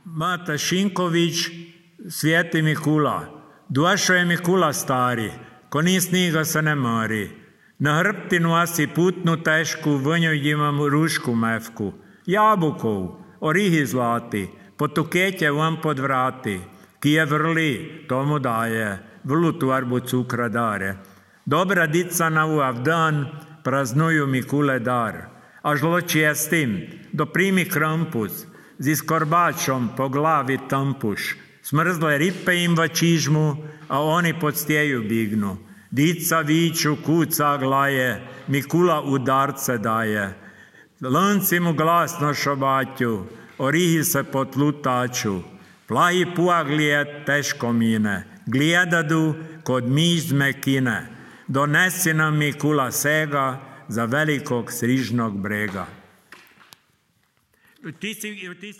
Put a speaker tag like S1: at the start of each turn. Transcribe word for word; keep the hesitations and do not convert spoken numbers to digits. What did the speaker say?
S1: Mata Šinković, Sveti Mikula. Došao je Mikula stari, ko ni sniga se ne mari. Na hrbti nosi putnu tešku, v njoj imam rušku mevku. Jabukov, orihi zlati, potuketje vam pod vrati. Ki je vrli, tomu daje, vrlu torbu cukra dare. Dobra dica na uav dan, praznuju Mikule dar. A žloči s tim, doprimi krampus, z iskorbačom po glavi tampuš. Smrzle ripe im v čižmu, a oni pod stjeju bignu. Dica viču, kuca glaje, Mikula udarce daje. Lanci mu glasno šobaću, orihi se potlutaču. Plahi puaglije teško mine, gledadu kod miš zmekine. Donesi nam Mikula sega za velikog srižnog brega. Ti si, ti si